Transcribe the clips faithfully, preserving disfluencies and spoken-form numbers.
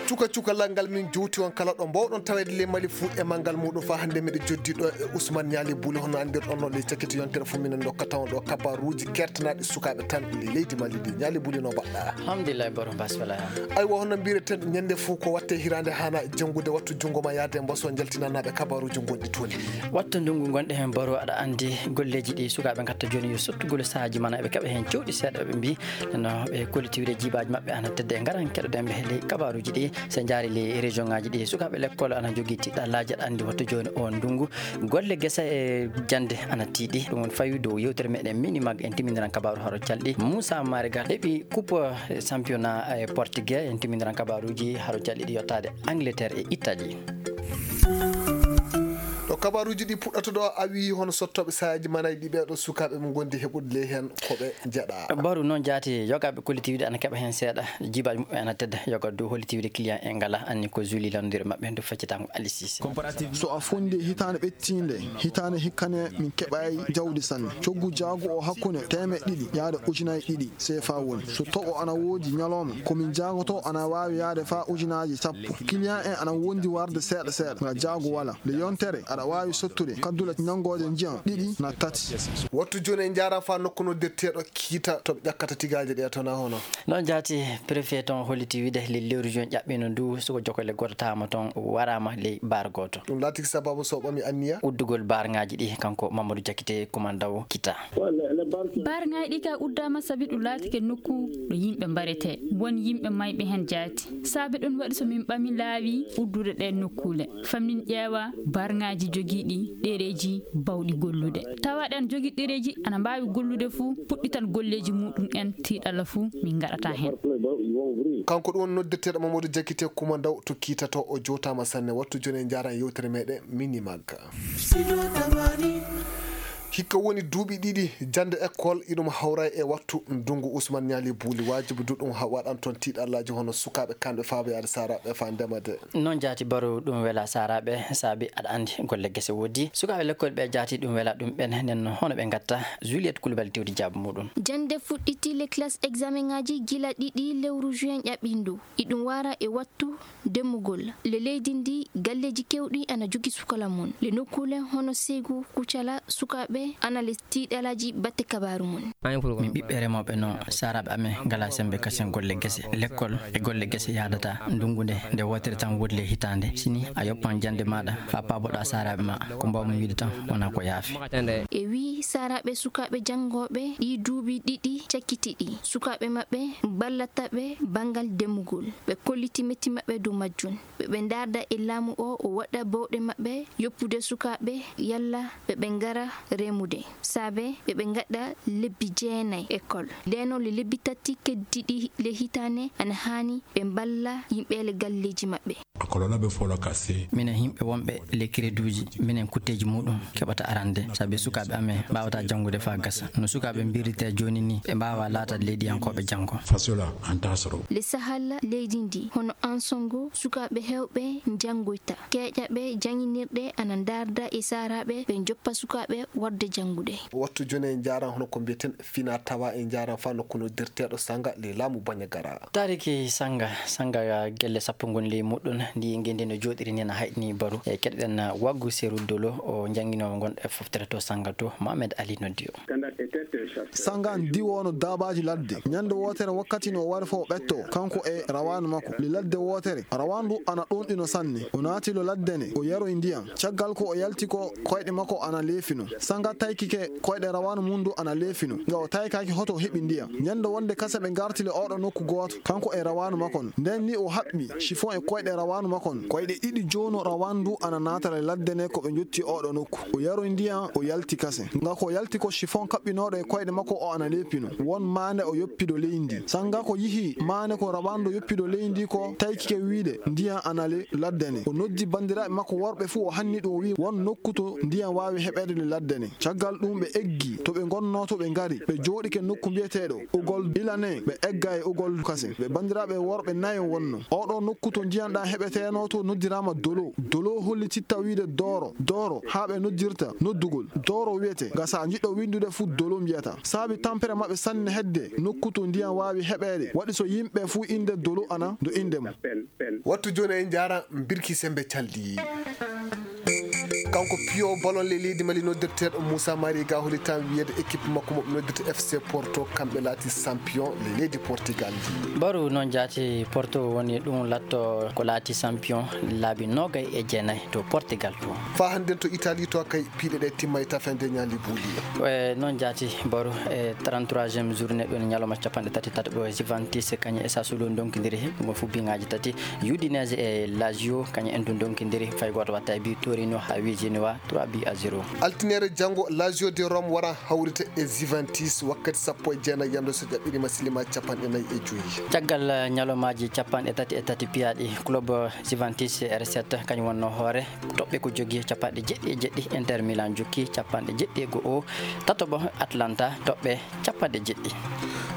Cuka cukalal ngal min jowti on kala ɗo mbawɗon taweede ley Mali fuu e manngal muuɗum. Faa hannde miɗo joddi ɗo e Ousmane Ñaali Buuli, hono anndirɗon no ley cakkiti yontere fof minen ndokkata on ɗo kabaruuji kertanaaɗi sukaaɓe tan ley leydi Mali ndi. Ñaali Buuli, no mbaɗɗaa? Alhamdulillahi, baro mbasfala. Aywa, hono mbireten, ñande fof ko watte hiraande haana janngude, wattu junngo ma yaade mbaso njaltinanaaɓe kabaruuji ngonɗi toon. Wattu ndunngu ngonɗe heen baro, aɗa anndi golleeji ɗi sukaaɓe ngatta jooni yo sottugol sahaaji mana eɓe keɓa heen cewɗi seeɗa ɓe mbi no ɓe kollitiwde jibaaji maɓɓe ana tedde e ngaran keɗoɗen ɓe ley kabaruuji ɗi. So en njaari ley région ngaji ɗi, sukaaɓe lekkol ana jogii tiɗɗallaaji, aɗa anndi wattu jooni o ndunngu. Golle gese e jannde ana tiiɗi. Ɗum woni fawi dow yewtere meɗen Mini Mag. En timmindiran kabaaru haro calɗi. Moussa Mariga heɓi coupe championnat e Portugais. En timmindiran kabaaruuji haro calɗi ɗi yottaade Angleterre e Italie. Ɗo kabaaruuji ɗi puɗɗata ɗo, a wii hono sottooɓe sahaaji manayɗi ɓee ɗo sukaaɓe ɓe ngondi heɓude ley heen ko ɓe njeɗa. Baru noon jaati, yogaaɓe kollitiwde ana keɓa heen seeɗa, jibaaji muɓɓen ana tedda, yoga dow hollitiwde client en ngala anni ko Julie lanndire maɓɓe heen to feccitango Alice Cissé. So a fondii hitaande ɓettiinde, hitaande hikkane min keɓaay jawdi sanne. Coggu jaagu o hakkunde teemeɗɗe ɗiɗi yaade ujunaaji ɗiɗi seefa woni. So toɓo ana woodi ñalooma, ko min jaagoto ana waawi yaade faa ujunaaji sappo. Client en ana wondi warde seeɗa seeɗa, nga jaagu wala. Nde yontere aɗa waawi sottude kaddule ñanngoode njiyan ɗiɗi na tati. Wattu jooni en njaaraama faa nokku noddirteeɗo Kiita to ɓe ƴakkata tigaaje ɗe to na hono. Noon jaati, préfet toon holliti wiide le lewru juin ƴaɓɓino ndu, suko jokkole gooto taama toon waraama ley baar gooto. Ɗum laatiki sababu so ɓami anniya? Uddugol baarŋaaji ɗi, kanko Mamadou Diakité, kumandaw Kiita. Baarŋaaji ɗi ka uddaama sabi ɗum laatike nokku ɗo yimɓe mbaretee. Won yimɓe mayɓe heen jaati. Saabe ɗum waɗi so min ɓami laawi uddude ɗeen nokkuule. Faa min ƴeewa baarŋaaji jogiiɗi ɗereeji baawɗi gollude. Tawa ɗeen jogii ɗereeji ana mbaawi gollude fuu, puɗɗital golleeji muɗum en tiiɗalla fuu min ngaɗata heen. Kanko ɗum woni noddirteeɗo Mamadou Diakité, kumandaw to Kiita to, o jootaama sanne. Wattu jooni en njaaran yewtere meɗen Mini Mag. Hikka woni duuɓi ɗiɗi jannde école iɗum hawra e wattu ndunngu. Ousmane Ñaali Buuli, waajibi du ɗum ha waɗan toon tiiɗallaaji hono sukaaɓe kanɓe faaboyaade saaraaɓe faa ndema de. Noon jaati Baru, ɗum wela saaraaɓe saabi aɗa anndi golle gese woodi. Sukaaɓe lekkol ɓe jaati ɗum wela ɗum ɓen, nden no hono ɓe ngatta. Juliette Coulibaly tewti jaabu muɗum. Jannde fuɗɗiti le classe examen ngaji gila ɗiɗi lewru juin ƴaɓɓindu. Iɗum wara e wattu demmugol. Le leydi ndi, galleeji kewɗi ana jogi sukola mun. Le nokkuule hono Segu, Kucala, sukaaɓe ana le tiiɗalaaji batte kabaaru mun. Min ɓiɓɓe remooɓe no saaraaɓe amen ngala sembe kasen golle gese. Lekkol e golle gese yaadata. Ndungu nde, nde wootere tan woodi le hitaande. Sini a yoppan jannde maaɗa faa paaboɗaa saaraaɓe ma. Ko mbaawmi wiide tan wonaa ko yaafi. E wii saaraaɓe sukaaɓe janngooɓe ɗii duuɓi ɗiɗi cakkitiiɗi, sukaaɓe maɓɓe ballata ɓe banngal demmugol. Ɓe kolliti metti maɓɓe dow majjum. Ɓe ɓe ndaarda e laamu o, o waɗa bawɗe maɓɓe yoppude sukaaɓe yalla ɓe ɓe ngara remude. Saabe ɓe ɓe ngaɗa lebbi jeenay école. Ndeno le lebbi tati keddiiɗi le hitaande ana haani ɓe mballa yimɓe le galleeji maɓɓe. Minen yimɓe wonɓe le créduuji, minen kutteeji muɗum keɓata arande, sabi sukaaɓe amen mbaawata janngude faa gasa. No sukaaɓe mbiritee jooni ni, ɓe mbaawaa laatade leydiyankooɓe janngo. Le sahal leydi ndi, hono Ansongo, sukaaɓe heewɓe njanngoyta. Keeƴaɓe jannginirɗe ana ndaarda e saaraaɓe, ɓe njoppa sukaaɓe waɗde janngude. Wattu jooni en njaaran hono ko mbiyeten fina tawa en njaaran faa nokku noddirteeɗo Sanga le laamu Bañagara. Taariki Sanga, Sanga gelle sappo ngoni ley muɗum, ndi ngenndi no jooɗiri ni na hayɗini Baru. E keɗoɗen waggu Seru Dolo, o jannginoowo ngon e foftere to Sanga to, Mohamed Ali noddi o. Sanga diwoono daabaaji ladde. Ñande wootere wakkati no o wari fof ɓetto, kanko e rawaanu makko. Le ladde wootere, rawaanu ndu ana ɗonɗino sanne. O naati lo ladde ne, o yaroy ndiyan. Caggal ko o yalti ko koyɗe makko ana leefino. Sanga taykike koyɗe rawaanu mum ndu ana leefino. Nga o taykaki hoto o heɓi ndiyan. Ñande wonde kase ɓe ngarti le oɗo nokku gooto, kanko e rawaanu makko on. Nden ni o haɓɓi chiffon e koyɗe rawaanu makko on. Koyɗe ɗiɗi joono rawaanu ndu ana naatara e ladde ne ko ɓe njotti oɗo nokku. O yaroy ndiyan, o yalti kase. Nga ko yalti ko chiffon kaɓɓinooɗo e koyɗe makko o ana leefino. Won maande o yoppido leydi. Sanga ko yihi maande ko rawaanu ndu yoppido leydi ko taykike wiide ndiyan ana le ladde ne. O noddi banndiraaɓe makko worɓe fuu o hanni ɗum o wi'i won nokku to ndiyan waawi heɓeede le ladde ne. Caggal ɗum ɓe eggi to ɓe ngonnoo, to ɓe ngari, ɓe jooɗike nokku mbiyeteeɗo Ugol Ilane, ɓe egga e Ugol Kasen. Ɓe banndiraaɓe worɓe nayo wonno. Oɗo nokku to ndiyan ɗan heɓeteenoo to noddiraama Dolo. Dolo hollititta wiide Dooro, Dooro, haa ɓe noddirta noddugol Dooro wiyete. Ga sa jiɗɗo winndude fu Dolo mbiyata. Saabi tampere maɓɓe sanne hedde nokku to ndiyan waawi heɓeede. Waɗi so yimɓe fu innde Dolo ana do innde mum. Wattu jooni en njaara Birki Sembe Caldi. Kanko piyo balon le leydi Mali noddirteeɗo Moussa Mariga holi tan wiyede équipe makko mo noddirta F C Porto, kamɓe laati champion le leydi Portugal ndi. Baru noon jaati Porto woni ɗum latto ko laati champion laabi nogay e jeenayi to Portugal to. Faa hannden to Italie to kay piiɗe ɗe timma e tafende ñaali buuli. E noon jaati Baru e trente-troisième journée ɗum ñalawma capanɗe tati tataɓo Juventus kañum e Sassuolo ndonkidiri ɗum fof biŋaaji tati. Udinese e Lazio, kañum en du ndonkidiri, fay gooto watta e bi Torino haa wi Genoa trois buts à zéro. Altiniere janngo, Lazio de Rome wara hawrita e Juventus wakkati sappo e jeenayi yamde so jaɓɓirima silima capanɗe nayi e joyi. Caggal, eh, ñalawmaaji capanɗe tati e tati piyaaɗi, club Juventus e R sept kañum wonno hoore, toɓɓe ko jogii capanɗe jeɗɗi e jeɗɗi, Inter Milan jokki capanɗe jeɗɗi e go'o, tataɓo Atlanta toɓɓe capanɗe jeɗɗi.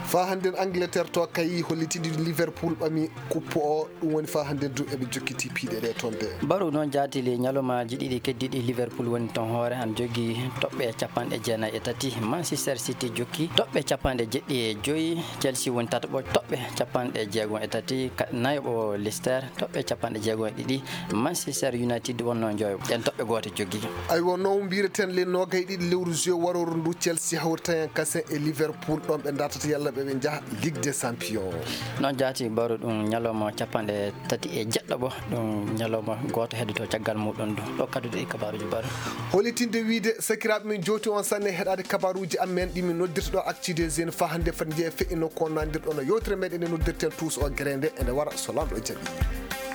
Faa hannden Angleterre to kay hollitidi Liverpool ɓami kuppo o, ɗum woni faa hannden du eɓe jokkiti piiɗe ɗe toon de. Baru noon jaatili ñalawmaaji ɗiɗi keddiɗi Liverpool woni toon hoore, han jogii toɓɓe capanɗe jeenayi e tati, Manchester City jokki toɓɓe capanɗe jeɗɗi e joyi, Chelsea woni tataɓo toɓɓe capanɗe jeegom e tati, ka-, nayoɓo Leicester toɓɓe capanɗe jeegom e ɗiɗi, Manchester United wonno njoyo. Ɗen toɓɓe gooto jogii. Aywa, no mbiyeten le noogay ɗiɗi lewru juillet warooru ndu, Chelsea hawrita hen kasen e Liverpool, ɗon ɓe ndartata yalla ɓe ɓe njaha Ligue des Champions. Noon jaati Baru ɗum ñalawma capanɗe tati e jeɗɗo ɓo, ɗum ñalawma gooto heddoto caggal muɗum du. Ɗo kadduɗe ɗi kabaruuji Baru. Holitinde wiide sakiraaɓe men jowti on sanne heɗaade kabaruuji amen ɗi min noddirta ɗo Actu des Jeunes faa hannde fati njeya feƴƴi nokku on nandirɗo no yewtere meɗen nde noddirten tuus o gere nde ene wara so Laamɗo jaɓi.